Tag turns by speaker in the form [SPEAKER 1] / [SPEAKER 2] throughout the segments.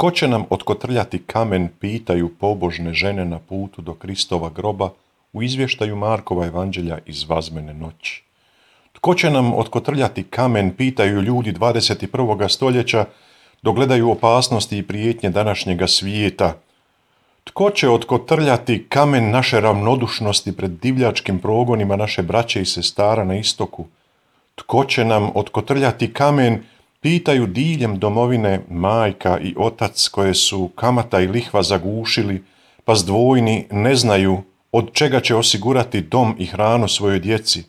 [SPEAKER 1] Tko će nam otkotrljati kamen, pitaju pobožne žene na putu do Kristova groba u izvještaju Markova evanđelja iz Vazmene noći. Tko će nam otkotrljati kamen, pitaju ljudi 21. stoljeća dok gledaju opasnosti i prijetnje današnjega svijeta. Tko će otkotrljati kamen naše ravnodušnosti pred divljačkim progonima naše braće i sestara na istoku? Tko će nam otkotrljati kamen, pitaju diljem domovine majka i otac koje su kamata i lihva zagušili, pa zdvojni ne znaju od čega će osigurati dom i hranu svojoj djeci.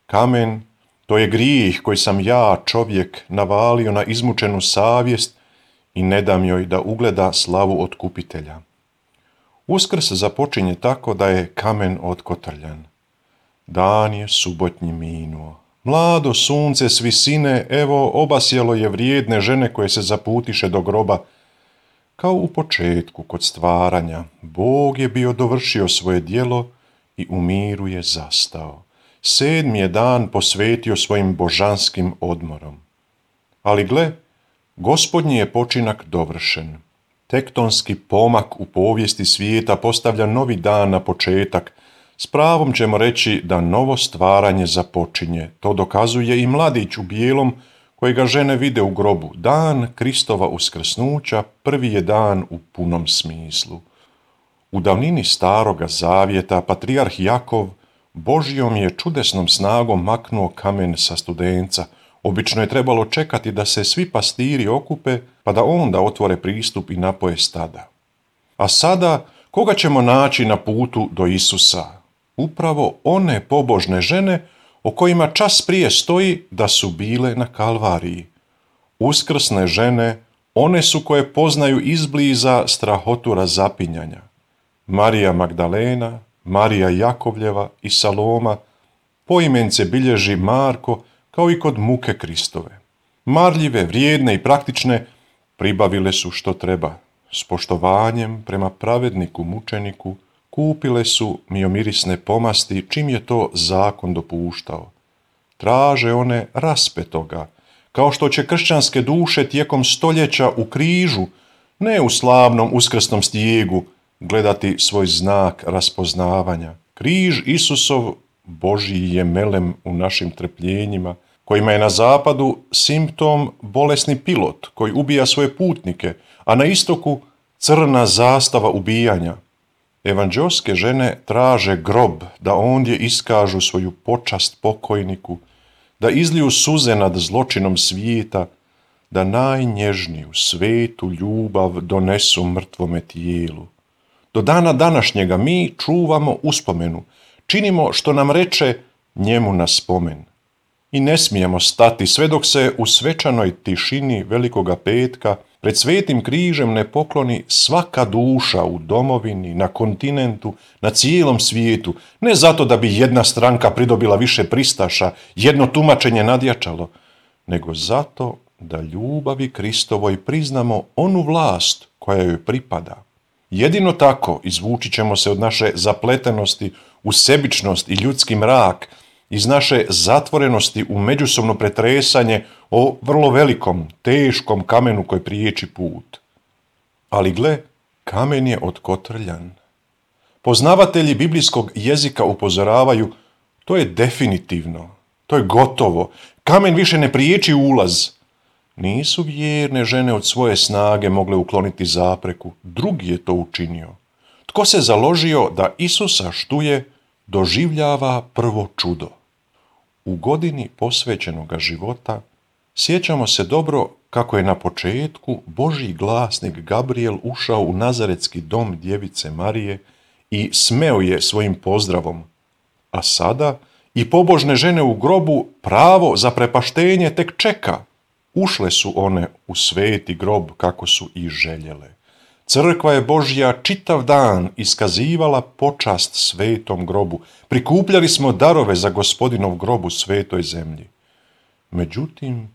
[SPEAKER 1] Kamen, to je grijeh koji sam ja, čovjek, navalio na izmučenu savjest i ne dam joj da ugleda slavu otkupitelja. Uskrs započinje tako da je kamen otkotrljan. Dan je subotnji minuo. Mlado sunce s visine, evo, obasjalo je vrijedne žene koje se zaputiše do groba. Kao u početku, kod stvaranja, Bog je bio dovršio svoje djelo i u miru je zastao. 7. je dan posvetio svojim božanskim odmorom. Ali gle, Gospodnji je počinak dovršen. Tektonski pomak u povijesti svijeta postavlja novi dan na početak. S pravom ćemo reći da novo stvaranje započinje. To dokazuje i mladić u bijelom kojega žene vide u grobu. Dan Kristova uskrsnuća prvi je dan u punom smislu. U davnini Staroga zavjeta patrijarh Jakov Božjom je čudesnom snagom maknuo kamen sa studenca. Obično je trebalo čekati da se svi pastiri okupe, pa da onda otvore pristup i napoje stada. A sada, koga ćemo naći na putu do Isusa? Upravo one pobožne žene o kojima čas prije stoji da su bile na Kalvariji. Uskrsne žene, one su koje poznaju izbliza strahotu razapinjanja. Marija Magdalena, Marija Jakovljeva i Saloma, poimence bilježi Marko, kao i kod muke Kristove. Marljive, vrijedne i praktične pribavile su što treba. S poštovanjem prema pravedniku mučeniku kupile su miomirisne pomasti čim je to zakon dopuštao. Traže one raspetoga, kao što će kršćanske duše tijekom stoljeća u križu, ne u slavnom uskrsnom stijegu, gledati svoj znak raspoznavanja. Križ Isusov Božji je melem u našim trpljenjima, kojima je na zapadu simptom bolesni pilot koji ubija svoje putnike, a na istoku crna zastava ubijanja. Evanđeoske žene traže grob da ondje iskažu svoju počast pokojniku, da izliju suze nad zločinom svijeta, da najnježniju svetu ljubav donesu mrtvome tijelu. Do dana današnjega mi čuvamo uspomenu, činimo što nam reče njemu na spomen. I ne smijemo stati sve dok se u svečanoj tišini Velikoga petka pred svetim križem ne pokloni svaka duša u domovini, na kontinentu, na cijelom svijetu, ne zato da bi jedna stranka pridobila više pristaša, jedno tumačenje nadjačalo, nego zato da ljubavi Kristovoj priznamo onu vlast koja joj pripada. Jedino tako izvući ćemo se od naše zapletenosti u sebičnost i ljudski mrak, iz naše zatvorenosti u međusobno pretresanje o vrlo velikom, teškom kamenu koji priječi put. Ali gle, kamen je otkotrljan. Poznavatelji biblijskog jezika upozoravaju, to je definitivno, to je gotovo, kamen više ne priječi ulaz. Nisu vjerne žene od svoje snage mogle ukloniti zapreku, drugi je to učinio. Tko se založio da Isusa štuje, doživljava prvo čudo. U godini posvećenoga života sjećamo se dobro kako je na početku Božji glasnik Gabriel ušao u nazaretski dom djevice Marije i smeo je svojim pozdravom. A sada i pobožne žene u grobu pravo za prepaštenje tek čeka. Ušle su one u sveti grob kako su i željele. Crkva je Božja čitav dan iskazivala počast svetom grobu. Prikupljali smo darove za Gospodinov grob u svetoj zemlji. Međutim,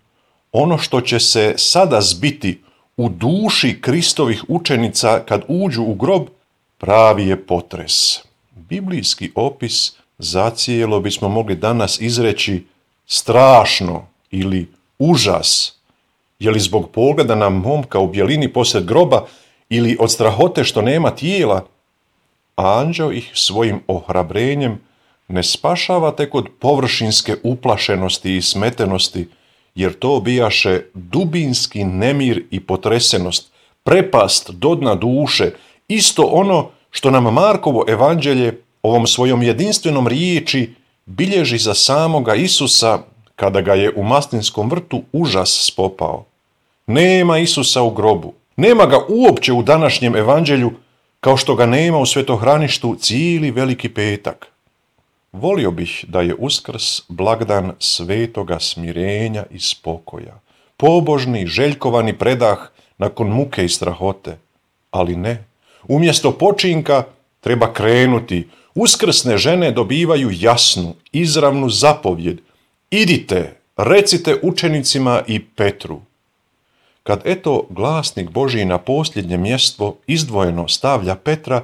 [SPEAKER 1] ono što će se sada zbiti u duši Kristovih učenica kad uđu u grob, pravi je potres. Biblijski opis zacijelo bismo mogli danas izreći strašno ili užas, Je li zbog pogleda na momka u bjelini posred groba ili od strahote što nema tijela? A anđeo ih svojim ohrabrenjem ne spašava tek od površinske uplašenosti i smetenosti, jer to bijaše dubinski nemir i potresenost, prepast do dna duše, isto ono što nam Markovo evanđelje ovom svojom jedinstvenom riječi bilježi za samoga Isusa kada ga je u Maslinskom vrtu užas spopao. Nema Isusa u grobu, nema ga uopće u današnjem evanđelju, kao što ga nema u svetohraništu cijeli Veliki petak. Volio bih da je Uskrs blagdan svetoga smirenja i spokoja, pobožni, željkovani predah nakon muke i strahote. Ali ne, umjesto počinka treba krenuti. Uskrsne žene dobivaju jasnu, izravnu zapovjed. Idite, recite učenicima i Petru. Kad eto glasnik Božji na posljednje mjesto izdvojeno stavlja Petra,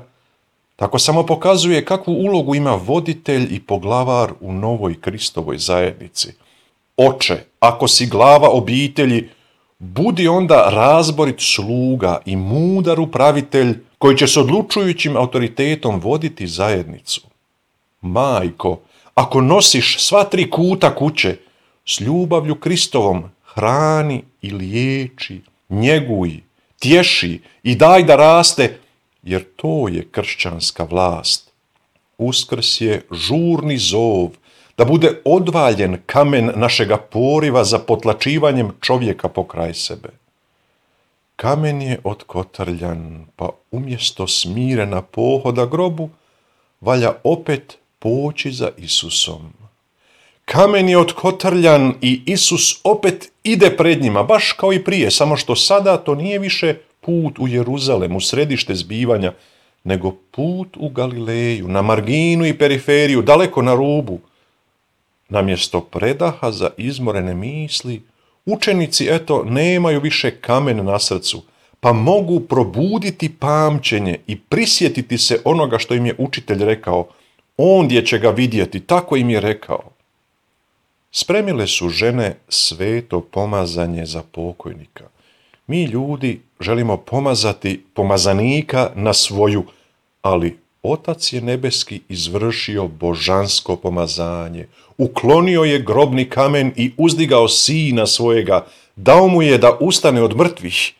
[SPEAKER 1] tako samo pokazuje kakvu ulogu ima voditelj i poglavar u novoj Kristovoj zajednici. Oče, ako si glava obitelji, budi onda razborit sluga i mudar upravitelj koji će s odlučujućim autoritetom voditi zajednicu. Majko, ako nosiš sva 3 kuta kuće, s ljubavlju Kristovom hrani i liječi, njeguj, tješi i daj da raste, jer to je kršćanska vlast. Uskrs je žurni zov da bude odvaljen kamen našega poriva za potlačivanjem čovjeka pokraj sebe. Kamen je otkotrljan, pa umjesto smirena pohoda grobu, valja opet poći za Isusom. Kamen je otkotrljan i Isus opet ide pred njima, baš kao i prije, samo što sada to nije više put u Jeruzalem, u središte zbivanja, nego put u Galileju, na marginu i periferiju, daleko na rubu. Namjesto predaha za izmorene misli, učenici eto nemaju više kamen na srcu, pa mogu probuditi pamćenje i prisjetiti se onoga što im je učitelj rekao. Ondje će ga vidjeti, tako im je rekao. Spremile su žene sveto pomazanje za pokojnika. Mi ljudi želimo pomazati pomazanika na svoju, ali Otac je nebeski izvršio božansko pomazanje, uklonio je grobni kamen i uzdigao Sina svojega, dao mu je da ustane od mrtvih.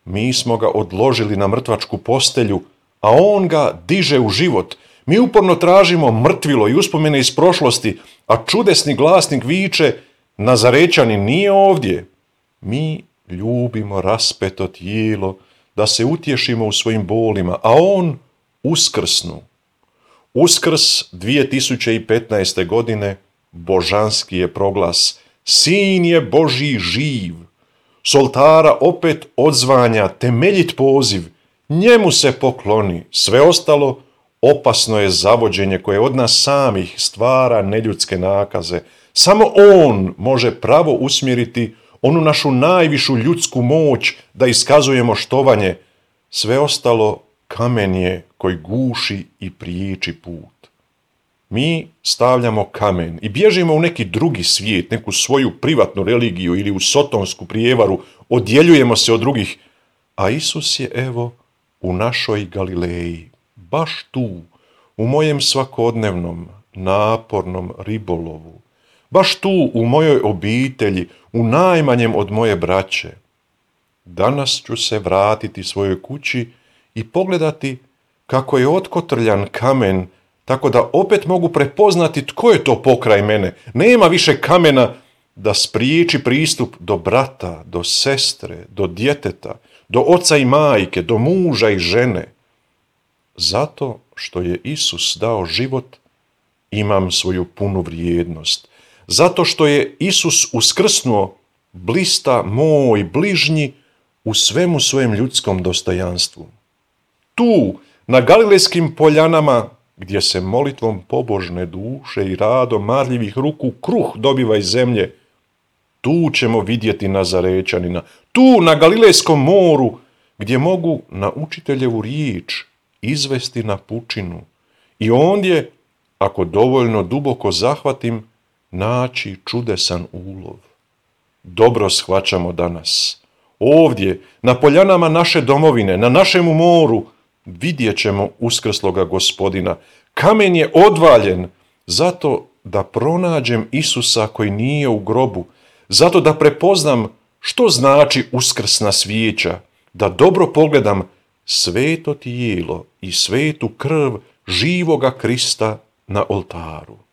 [SPEAKER 1] Mi smo ga odložili na mrtvačku postelju, a on ga diže u život. Mi uporno tražimo mrtvilo i uspomene iz prošlosti, a čudesni glasnik viče, Nazarećanin nije ovdje. Mi ljubimo raspeto tijelo da se utješimo u svojim bolima, a on uskrsnu. Uskrs 2015. godine božanski je proglas. Sin je Božji živ. S oltara opet odzvanja temeljit poziv. Njemu se pokloni. Sve ostalo opasno je zavođenje koje od nas samih stvara neljudske nakaze. Samo on može pravo usmjeriti onu našu najvišu ljudsku moć da iskazujemo štovanje. Sve ostalo kamen je koji guši i priječi put. Mi stavljamo kamen i bježimo u neki drugi svijet, neku svoju privatnu religiju ili u sotonsku prijevaru, odjeljujemo se od drugih, a Isus je evo u našoj Galileji, baš tu, u mojem svakodnevnom, napornom ribolovu, baš tu u mojoj obitelji, u najmanjem od moje braće. Danas ću se vratiti svojoj kući i pogledati kako je otkotrljan kamen, tako da opet mogu prepoznati tko je to pokraj mene. Nema više kamena da spriječi pristup do brata, do sestre, do djeteta, do oca i majke, do muža i žene. Zato što je Isus dao život, imam svoju punu vrijednost. Zato što je Isus uskrsnuo, blista moj bližnji u svemu svojem ljudskom dostojanstvu. Tu, na Galilejskim poljanama, gdje se molitvom pobožne duše i radom marljivih ruku kruh dobiva iz zemlje, tu ćemo vidjeti Nazarećanina. Tu, na Galilejskom moru, gdje mogu na učiteljevu riječ izvesti na pučinu i ondje, ako dovoljno duboko zahvatim, naći čudesan ulov. dobro shvaćamo danas. Ovdje, na poljanama naše domovine, na našemu moru, vidjet ćemo uskrsloga Gospodina. Kamen je odvaljen zato da pronađem Isusa koji nije u grobu, zato da prepoznam što znači uskrsna svijeća, da dobro pogledam sveto tijelo i svetu krv živoga Krista na oltaru.